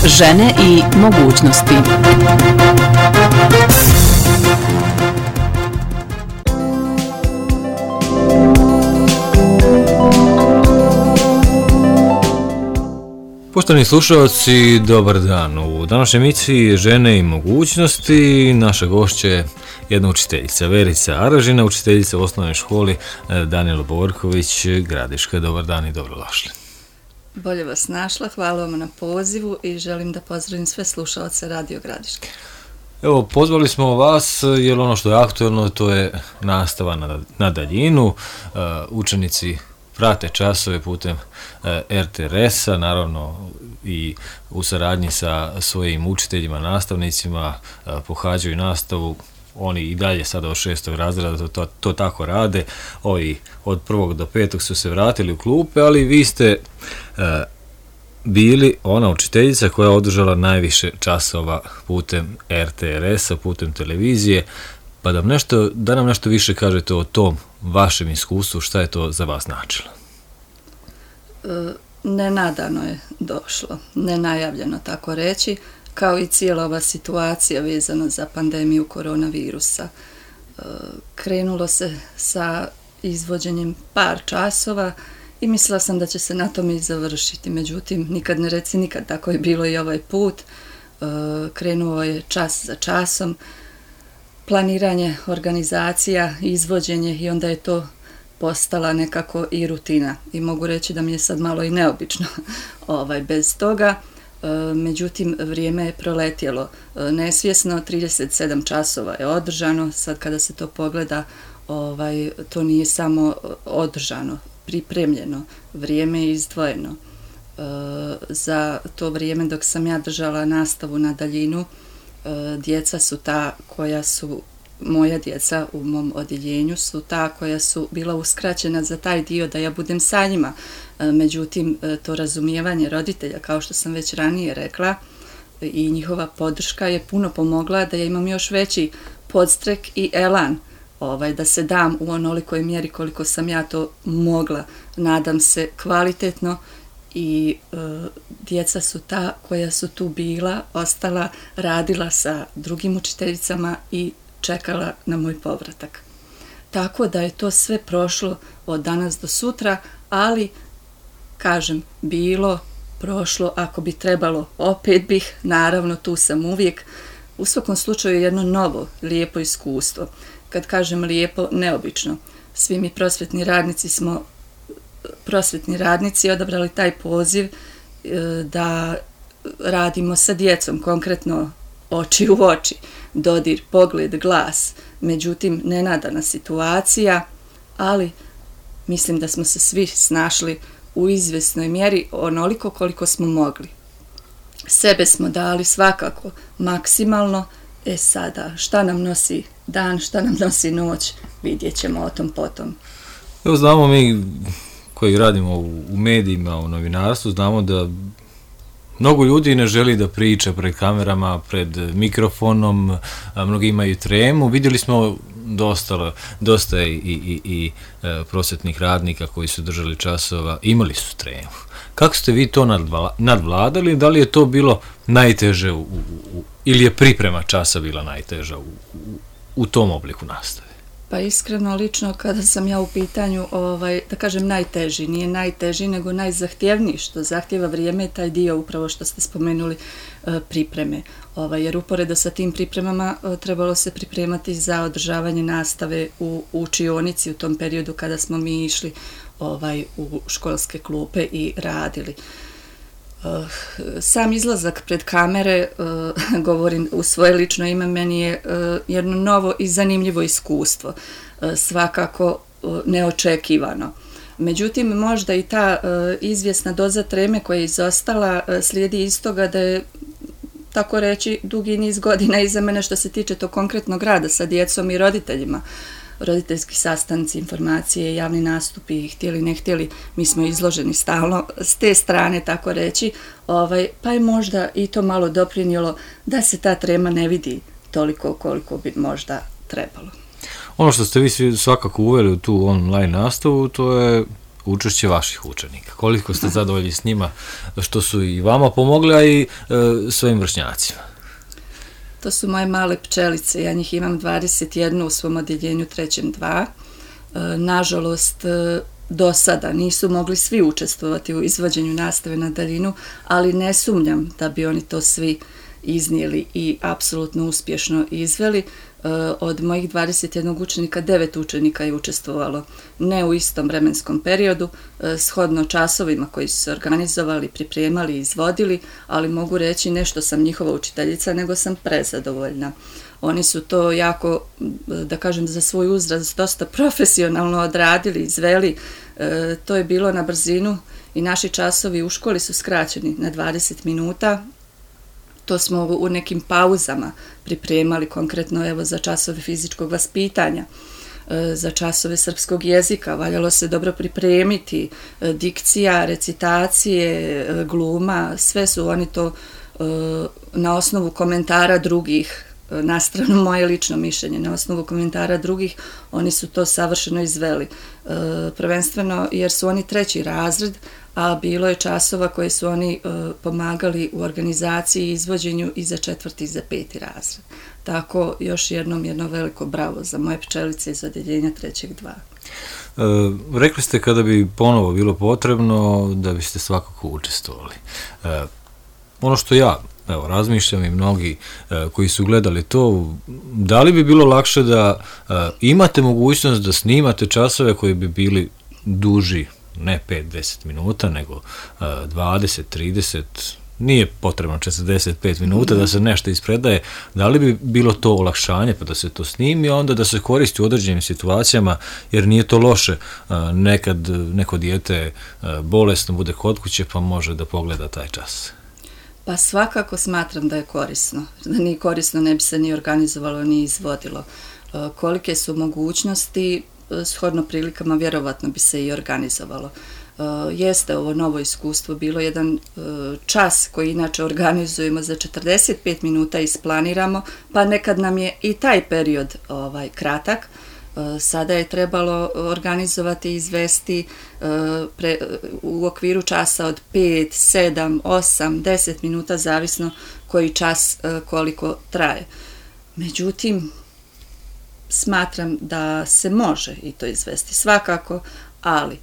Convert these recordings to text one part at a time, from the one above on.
žene i mogućnosti. Poštovani slušalci, dobar dan. U današnjoj emisiji Žene i mogućnosti naša gošća je jedna učiteljica, Verica Aražina, učiteljica u osnovnoj školi Danilo Borković, Gradiška. Dobar dan i dobrodošli. Bolje vas našla, hvala vam na pozivu i želim da pozdravim sve slušalce Radio Gradiške. Evo, pozvali smo vas jer ono što je aktuelno to je nastava na daljinu. Učenici prate časove putem RTRS-a, naravno i u saradnji sa svojim učiteljima, nastavnicima, pohađaju nastavu. Oni i dalje sada od 6. razreda to tako rade. Ovi od 1. do 5. su se vratili u klupe, ali vi ste bili ona učiteljica koja je održala najviše časova putem RTRS-a, putem televizije. Pa da nam nešto više kažete o tom vašem iskustvu, šta je to za vas značilo? Nenadano je došlo, nenajavljeno tako reći, kao i cijela ova situacija vezana za pandemiju koronavirusa. Krenulo se sa izvođenjem par časova i mislila sam da će se na tome i završiti. Međutim, nikad ne reci nikad, tako je bilo i ovaj put. Krenuo je čas za časom, planiranje, organizacija, izvođenje i onda je to postala nekako i rutina. I mogu reći da mi je sad malo i neobično bez toga. Međutim, vrijeme je proletjelo nesvjesno, 37 časova je održano, sad kada se to pogleda, to nije samo održano, pripremljeno, vrijeme je izdvojeno. Za to vrijeme dok sam ja držala nastavu na daljinu, djeca su ta koja su, moja djeca u mom odjeljenju su ta koja su bila uskraćena za taj dio da ja budem sa njima. Međutim, to razumijevanje roditelja, kao što sam već ranije rekla, i njihova podrška je puno pomogla da ja imam još veći podstrek i elan da se dam u onolikoj mjeri koliko sam ja to mogla. Nadam se kvalitetno i djeca su ta koja su tu bila, ostala, radila sa drugim učiteljicama i čekala na moj povratak. Tako da je to sve prošlo od danas do sutra, ali, kažem, bilo, prošlo, ako bi trebalo, opet bih, naravno tu sam uvijek. U svakom slučaju jedno novo, lijepo iskustvo. Kad kažem lijepo, neobično. Svi mi prosvjetni radnici smo odabrali taj poziv da radimo sa djecom, konkretno oči u oči, dodir, pogled, glas. Međutim, nenadana situacija, ali mislim da smo se svi snašli u izvjesnoj mjeri onoliko koliko smo mogli. Sebe smo dali svakako maksimalno. Sada, šta nam nosi dan, šta nam nosi noć, vidjet ćemo o tom potom. Evo, znamo mi koji radimo u medijima, u novinarstvu, znamo da mnogo ljudi ne želi da priča pred kamerama, pred mikrofonom, mnogi imaju tremu. Vidjeli smo dosta i prosvjetnih radnika koji su držali časova, imali su tremu. Kako ste vi to nadvladali? Da li je to bilo najteže ili je priprema časa bila najteža u tom obliku nastave? Pa iskreno, lično, kada sam ja u pitanju, da kažem najteži, nije najteži, nego najzahtjevniji, što zahtjeva vrijeme je taj dio upravo što ste spomenuli, pripreme. Jer uporedo sa tim pripremama trebalo se pripremati za održavanje nastave u učionici u tom periodu kada smo mi išli u školske klupe i radili. Sam izlazak pred kamere, govorim u svoje lično ime, meni je jedno novo i zanimljivo iskustvo, svakako neočekivano. Međutim, možda i ta izvjesna doza treme koja je izostala slijedi iz toga da je, tako reći, dugi niz godina iza mene što se tiče to konkretnog rada sa djecom i roditeljima. Roditeljski sastanci, informacije, javni nastupi, htjeli ne htjeli, mi smo izloženi stalno s te strane, tako reći, pa je možda i to malo doprinijelo da se ta trema ne vidi toliko koliko bi možda trebalo. Ono što ste vi svakako uveli u tu online nastavu, to je učešće vaših učenika? Koliko ste zadovoljni s njima što su i vama pomogli, a i svojim vršnjacima? To su moje male pčelice, ja njih imam 21 u svom odjeljenju 3.2. Nažalost, do sada nisu mogli svi učestvovati u izvođenju nastave na daljinu, ali ne sumnjam da bi oni to svi iznijeli i apsolutno uspješno izveli. Od mojih 21 učenika, 9 učenika je učestvovalo ne u istom vremenskom periodu, shodno časovima koji su se organizovali, pripremali i izvodili, ali mogu reći ne što sam njihova učiteljica, nego sam prezadovoljna. Oni su to jako, da kažem, za svoj uzrast dosta profesionalno odradili, izveli. To je bilo na brzinu i naši časovi u školi su skraćeni na 20 minuta. To smo u nekim pauzama pripremali, konkretno evo za časove fizičkog vaspitanja, za časove srpskog jezika, valjalo se dobro pripremiti, dikcija, recitacije, gluma, sve su oni to na osnovu komentara drugih, na stranu moje lično mišljenje, na osnovu komentara drugih, oni su to savršeno izveli. Prvenstveno jer su oni 3. razred, a bilo je časova koje su oni pomagali u organizaciji i izvođenju i za 4. i za 5. razred. Tako još jedno veliko bravo za moje pčelice iz odjeljenja 3.2. Rekli ste kada bi ponovo bilo potrebno da biste svakako učestvovali. Ono što ja razmišljam i mnogi koji su gledali to, da li bi bilo lakše da imate mogućnost da snimate časove koji bi bili duži, ne 5-10 minuta, nego 20-30, nije potrebno 45 minuta da se nešto ispredaje, da li bi bilo to olakšanje pa da se to snimi, a onda da se koristi u određenim situacijama, jer nije to loše, nekad neko dijete bolesno bude kod kuće pa može da pogleda taj čas. Pa svakako smatram da je korisno. Da nije korisno ne bi se ni organizovalo, ni izvodilo. Kolike su mogućnosti, shodno prilikama vjerovatno bi se i organizovalo. Jeste ovo novo iskustvo, bilo jedan čas koji inače organizujemo za 45 minuta isplaniramo, pa nekad nam je i taj period kratak. Sada je trebalo organizovati i izvesti u okviru časa od 5, 7, 8, 10 minuta, zavisno koji čas koliko traje. Međutim, smatram da se može i to izvesti svakako, ali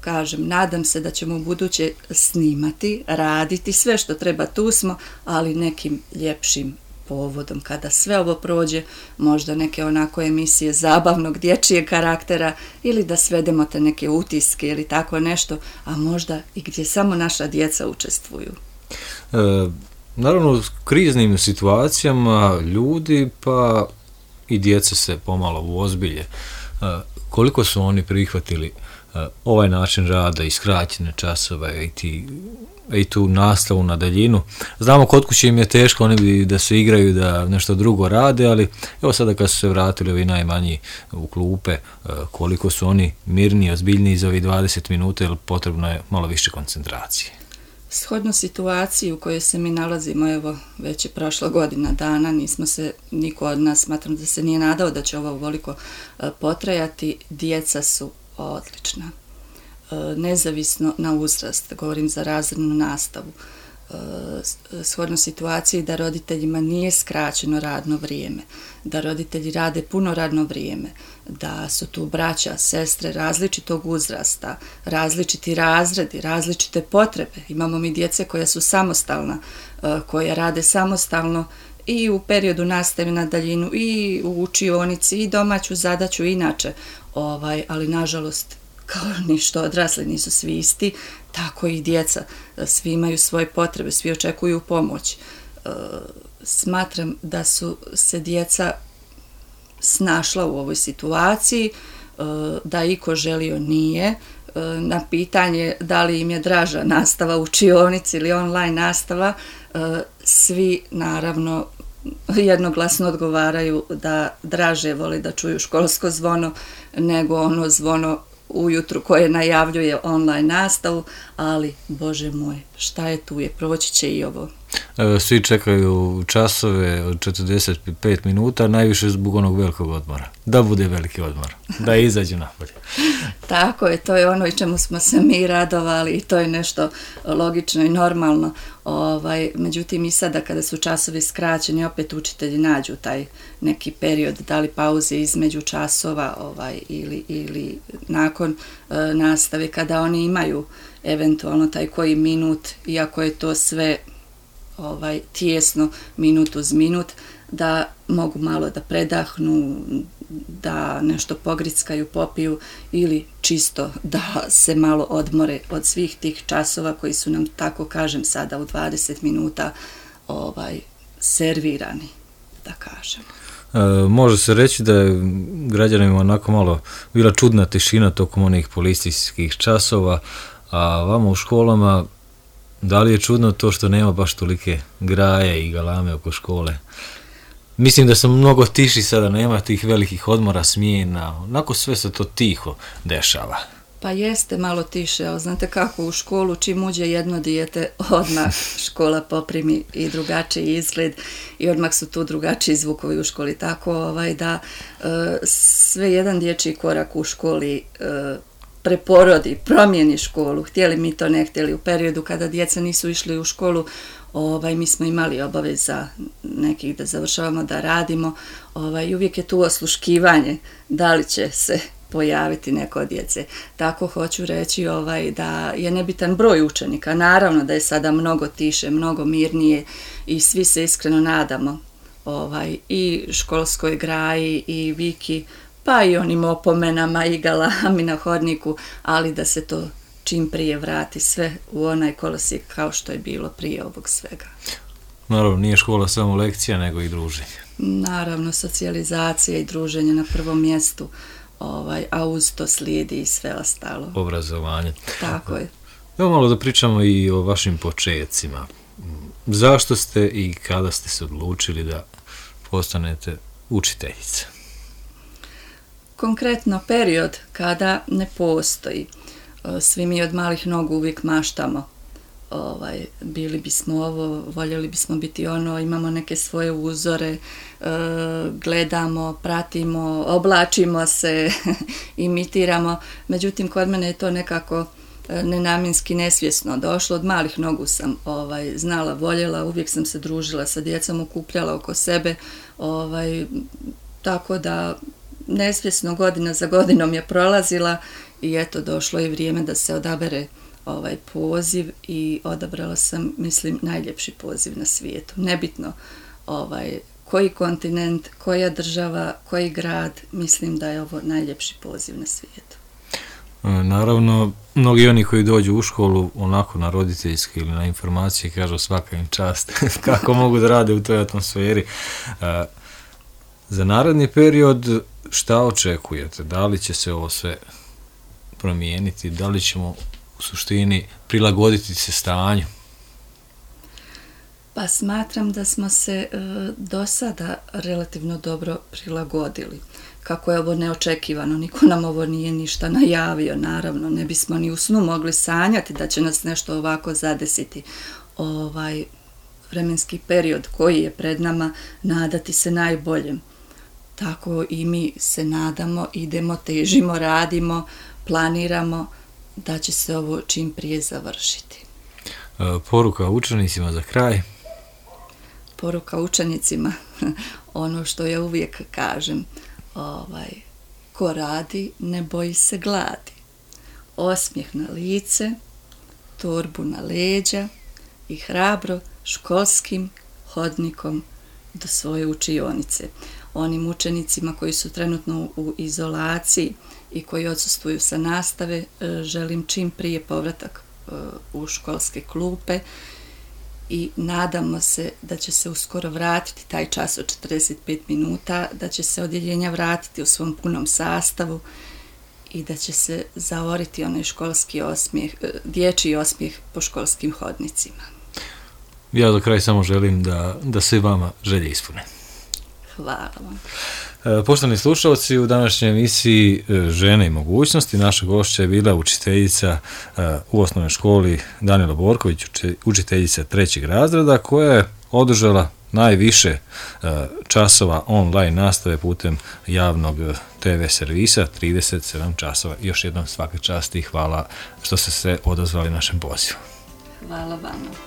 kažem, nadam se da ćemo u buduće snimati, raditi, sve što treba tu smo, ali nekim ljepšim povodom, kada sve ovo prođe, možda neke onako emisije zabavnog dječjeg karaktera ili da svedemo te neke utiske ili tako nešto, a možda i gdje samo naša djeca učestvuju. Naravno, u kriznim situacijama ljudi pa i djeca se pomalo uozbilje. Koliko su oni prihvatili ovaj način rada i skraćene časove i tu nastavu na daljinu? Znamo, kod kuće im je teško, oni bi da se igraju, da nešto drugo rade, ali evo sada kad su se vratili ovi najmanji u klupe, koliko su oni mirniji, ozbiljniji za ovih 20 minuta, jer potrebno je malo više koncentracije. Shodno situaciji u kojoj se mi nalazimo, evo, već je prošla godina dana, nismo se, niko od nas, smatram da se nije nadao da će ovo ovoliko potrajati, djeca su odlična. Nezavisno na uzrast, govorim za razrednu nastavu, shodno situaciji da roditeljima nije skraćeno radno vrijeme, da roditelji rade puno radno vrijeme, da su tu braća, sestre različitog uzrasta, različiti razredi, različite potrebe. Imamo mi djece koja su samostalna, koja rade samostalno i u periodu nastave na daljinu, i u učionici, i domaću zadaću inače, ali nažalost, kao ni što odrasli nisu svi isti, tako i djeca. Svi imaju svoje potrebe, svi očekuju pomoć. Smatram da su se djeca snašla u ovoj situaciji, da iko želio nije. Na pitanje da li im je draža nastava u učionici ili online nastava, svi naravno jednoglasno odgovaraju da draže vole da čuju školsko zvono nego ono zvono ujutru koje najavljuje online nastavu, ali Bože moj, šta je tu je, proći će i ovo. Svi čekaju časove od 45 minuta, najviše zbog onog velikog odmora. Da bude veliki odmor, da izađu napolje. Tako je, to je ono i čemu smo se mi radovali i to je nešto logično i normalno. Međutim i sada kada su časovi skraćeni, opet učitelji nađu taj neki period, da li pauze između časova ili nakon nastave, kada oni imaju eventualno taj koji minut, iako je to sve tijesno, minut uz minut, da mogu malo da predahnu, da nešto pogrickaju, popiju ili čisto da se malo odmore od svih tih časova koji su nam, tako kažem sada, u 20 minuta servirani, da kažem. Može se reći da je građanima onako malo bila čudna tišina tokom onih policijskih časova, a vama u školama, da li je čudno to što nema baš tolike graje i galame oko škole? Mislim da sam mnogo tiši sada, nema tih velikih odmora, smjena, onako sve se to tiho dešava. Pa jeste malo tiše, ali znate kako u školu čim uđe jedno dijete, odmah škola poprimi i drugačiji izgled i odmah su tu drugačiji zvukovi u školi, tako da sve jedan dječji korak u školi preporodi, promijeni školu, htjeli mi to ne htjeli. U periodu kada djeca nisu išli u školu, mi smo imali obaveza nekih da završavamo, da radimo, i uvijek je tu osluškivanje da li će se pojaviti neko od djece. Tako hoću reći da je nebitan broj učenika, naravno da je sada mnogo tiše, mnogo mirnije i svi se iskreno nadamo i školskoj graji i viki, pa i onim opomenama i galami na hodniku, ali da se to čim prije vrati sve u onaj kolosijek kao što je bilo prije ovog svega. Naravno, nije škola samo lekcija, nego i druženje. Naravno, socijalizacija i druženje na prvom mjestu, a uz to slijedi i sve ostalo. Obrazovanje. Tako je. Evo malo da pričamo i o vašim počecima. Zašto ste i kada ste se odlučili da postanete učiteljica? Konkretno period kada ne postoji. Svi mi od malih nogu uvijek maštamo. Bili bismo ovo, voljeli bismo biti ono, imamo neke svoje uzore, gledamo, pratimo, oblačimo se, imitiramo. Međutim, kod mene je to nekako nenamjenski, nesvjesno došlo. Od malih nogu sam znala, voljela, uvijek sam se družila sa djecom, okupljala oko sebe, tako da nesvjesno godina za godinom je prolazila i eto došlo je vrijeme da se odabere poziv i odabrala sam, mislim, najljepši poziv na svijetu. Nebitno koji kontinent, koja država, koji grad, mislim da je ovo najljepši poziv na svijetu. Naravno, mnogi oni koji dođu u školu onako na roditeljski ili na informacije kažu svaka im čast kako mogu da rade u toj atmosferi. Za naredni period šta očekujete? Da li će se ovo sve promijeniti? Da li ćemo u suštini prilagoditi se stanju? Pa smatram da smo se do sada relativno dobro prilagodili. Kako je ovo neočekivano, niko nam ovo nije ništa najavio, naravno, ne bismo ni u snu mogli sanjati da će nas nešto ovako zadesiti. Vremenski period koji je pred nama, nadati se najboljem. Tako i mi se nadamo, idemo, težimo, radimo, planiramo da će se ovo čim prije završiti. Poruka učenicima za kraj? Poruka učenicima, ono što ja uvijek kažem, ko radi ne boji se gladi. Osmijeh na lice, torbu na leđa i hrabro školskim hodnikom do svoje učionice. Onim učenicima koji su trenutno u izolaciji i koji odsustvuju sa nastave, želim čim prije povratak u školske klupe i nadamo se da će se uskoro vratiti taj čas od 45 minuta, da će se odjeljenja vratiti u svom punom sastavu i da će se zaoriti onaj školski osmijeh, dječji osmijeh po školskim hodnicima. Ja do kraja samo želim da se vama želje ispune. Hvala vam. Poštovani slušalci, u današnjoj emisiji Žene i mogućnosti naša gošća je bila učiteljica u osnovnoj školi Danilo Borković, učiteljica 3. razreda koja je održala najviše časova online nastave putem javnog TV servisa, 37 časova. Još jednom svaka čast i hvala što ste se odazvali našem pozivu. Hvala vama.